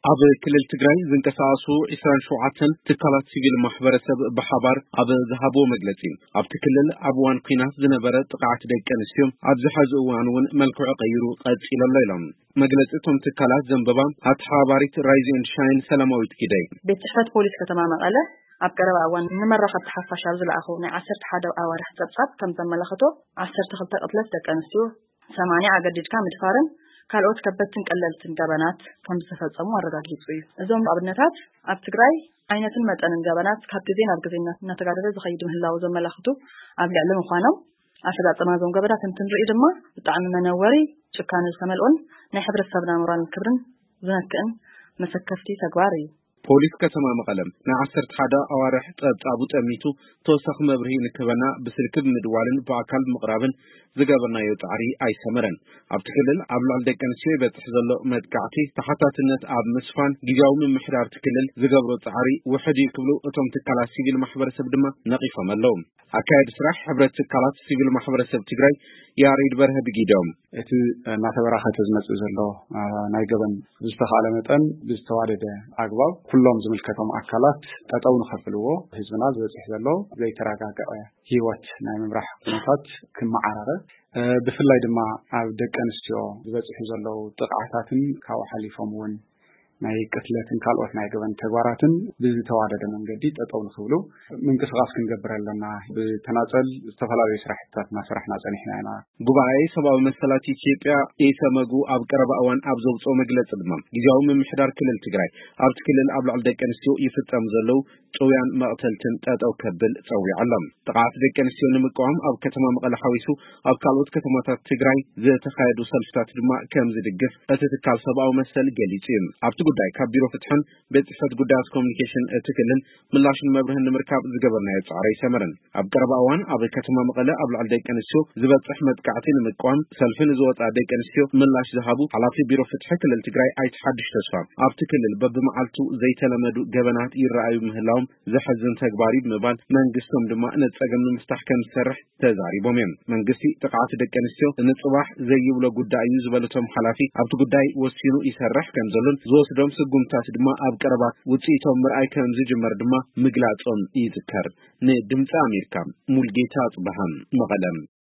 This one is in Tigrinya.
ኣብ ክልል ትግራይ ዝንቀሳቐሱ ዕስራን ሸውዓተን ትካላት ሲቪል ማሕበረሰብ ብሓባር ኣብ ዝሃብዎ መግለጺ፣ ኣብቲ ክልል ኣብ እዋን ኲናት ዝነበረ ጥቕዓት ደቂ ኣንስትዮ ኣብዚ ሐዚ እዋን እውን መልክዑ ቀይሩ ቀጺሉ ኣሎ ኢሎም። መግለጺ እቶም ትካላት ዘንበባ ኣተሓባባሪት ራይዝ ኤንድ ሻይን ሰላማዊት ጊደይ። ቤት ጽሕፈት ፖሊስ ከተማ መቐለ ኣብ ቀረባ እዋን ንመራኸብቲ ሓፋሽ ኣብ ዝለኣኾ ናይ ዓሰርተ ሓደ ኣዋርሕ ጸብጻብ ከም ዘመላኸቶ፣ ዓሰርተ ክልተ ቅትለት ደቂ ኣንስትዮ፣ ሰማንያ ኣገዲድካ ምድፋርን ካልኦት ከበድትን ቀለልትን ገበናት ከም ዝተፈጸሙ ኣረጋጊጹ እዩ። እዞም ኣብነታት ኣብ ትግራይ ዓይነትን መጠንን ገበናት ካብ ግዜ ናብ ግዜ እናተጋደደ ዝኸይድ ምህላው ዘመላኽቱ ኣብ ልዕሊ ምዃኖም፣ ኣፈጻጸማ እዞም ገበናት እንትንርኢ ድማ ብጣዕሚ መነወሪ፣ ጭካነ ዝተመልኦን ናይ ሕብረተሰብና ሞራልን ክብርን ዝነክእን መሰከፍቲ ተግባር እዩ። ፖሊስ ከተማ መቐለ ናይ ዓሰርተ ሓደ ኣዋርሕ ጸብጻቡ ጠሚቱ ተወሳኺ መብርሂ ንክህበና ብስልኪ ብምድዋልን ብኣካል ብምቕራብን ዝገበርናዮ ጻዕሪ ኣይሰመረን። ኣብቲ ክልል ኣብ ልዕሊ ደቂ ኣንስትዮ ይበጽሕ ዘሎ መጥቃዕቲ ተሓታትነት ኣብ ምስፋን ግዝያዊ ምምሕዳር እቲ ክልል ዝገብሮ ጻዕሪ ውሕድ እዩ ክብሉ እቶም ትካላት ሲቪል ማሕበረሰብ ድማ ነቒፎም ኣለዉ። ኣካያዲ ስራሕ ሕብረት ትካላት ሲቪል ማሕበረሰብ ትግራይ ያሬድ በርሀ ብጊዶም፣ እቲ እናተበራኸተ ዝመጽእ ዘሎ፣ አ፣ ናይ ገበን ብዝተኻለ መጠን ብዝተዋደደ ኣግባብ ኩሎም ዝምልከቶም ኣካላት ጠጠው ንኸብልዎ፣ ህዝብና ዝበጽሕ ዘሎ ዘይተረጋገዐ ህይወት ናይ ምምራሕ ኩነታት ክመዓራረ፣ እ፣ ብፍላይ ድማ ኣብ ደቂ ኣንስትዮ ዝበጽሑ ዘለዉ ጥቕዓታትን ካብኡ ሓሊፎም እውን ናይ ቅትለትን ካልኦት ናይ ገበን ተግባራትን ብዝተዋደደ መንገዲ ጠጠው ንኽብሉ ምንቅስቓስ ክንገብር ኣለና። ብተናጸል ዝተፈላለዩ ስራሕትታት እናሰራሕና ጸኒሕና ኢና። ጉባኤ ሰብኣዊ መሰላት ኢትዮጵያ፣ ኢሰመጉ፣ ኣብ ቀረባ እዋን ኣብ ዘውፅኦ መግለፂ ድማ፣ ግዝያዊ ምምሕዳር ክልል ትግራይ ኣብቲ ክልል ኣብ ልዕሊ ደቂ ኣንስትዮ ይፍጸሙ ዘለዉ ጭውያን መቕተልትን ጠጠው ከብል ጸዊዑ ኣሎ። ጥቕዓት ደቂ ኣንስትዮ ንምቅዋም ኣብ ከተማ መቐለ ሓዊሱ ኣብ ካልኦት ከተማታት ትግራይ ዝተኻየዱ ሰልፍታት ድማ ከም ዝድግፍ እቲ ትካል ሰብኣዊ መሰል ገሊጹ እዩ። ኣብቲ ጉዳይ ካብ ቢሮ ፍትሕን ቤት ጽሕፈት ጉዳያት ኮሚኒኬሽን እቲ ክልል ምላሽን መብርህን ንምርካብ ዝገበርናዮ ጻዕሪ ኣይሰመረን። ኣብ ቀረባ እዋን ኣብ ከተማ መቐለ ኣብ ልዕሊ ደቂ ኣንስትዮ ዝበጽሕ መጥቃዕቲ ንምቅዋም ሰልፊ ንዝወጻ ደቂ ኣንስትዮ ምላሽ ዝሃቡ ሓላፊ ቢሮ ፍትሒ ክልል ትግራይ ኣይተ ሓድሽ ተስፋ፣ ኣብቲ ክልል በብመዓልቱ ዘይተለመዱ ገበናት ይረኣዩ ምህላዎም ዘሕዝን ተግባር እዩ ብምባል መንግስቶም ድማ ነቲ ጸገም ንምፍታሕ ከም ዝሰርሕ ተዛሪቦም እዮም። መንግስቲ ጥቕዓት ደቂ ኣንስትዮ ንጽባሕ ዘይብሎ ጉዳይ እዩ ዝበሉ እቶም ሓላፊ፣ ኣብቲ ጉዳይ ወሲኑ ይሰርሕ ከም ዘሎን ዝወስዶም ስጉምታት ድማ ኣብ ቀረባ ውጽኢቶም ምርኣይ ከም ዝጅመር ድማ ምግላጾም ይዝከር። ንድምፂ ኣሜሪካ ሙልጌታ ጽባሃ መቐለም።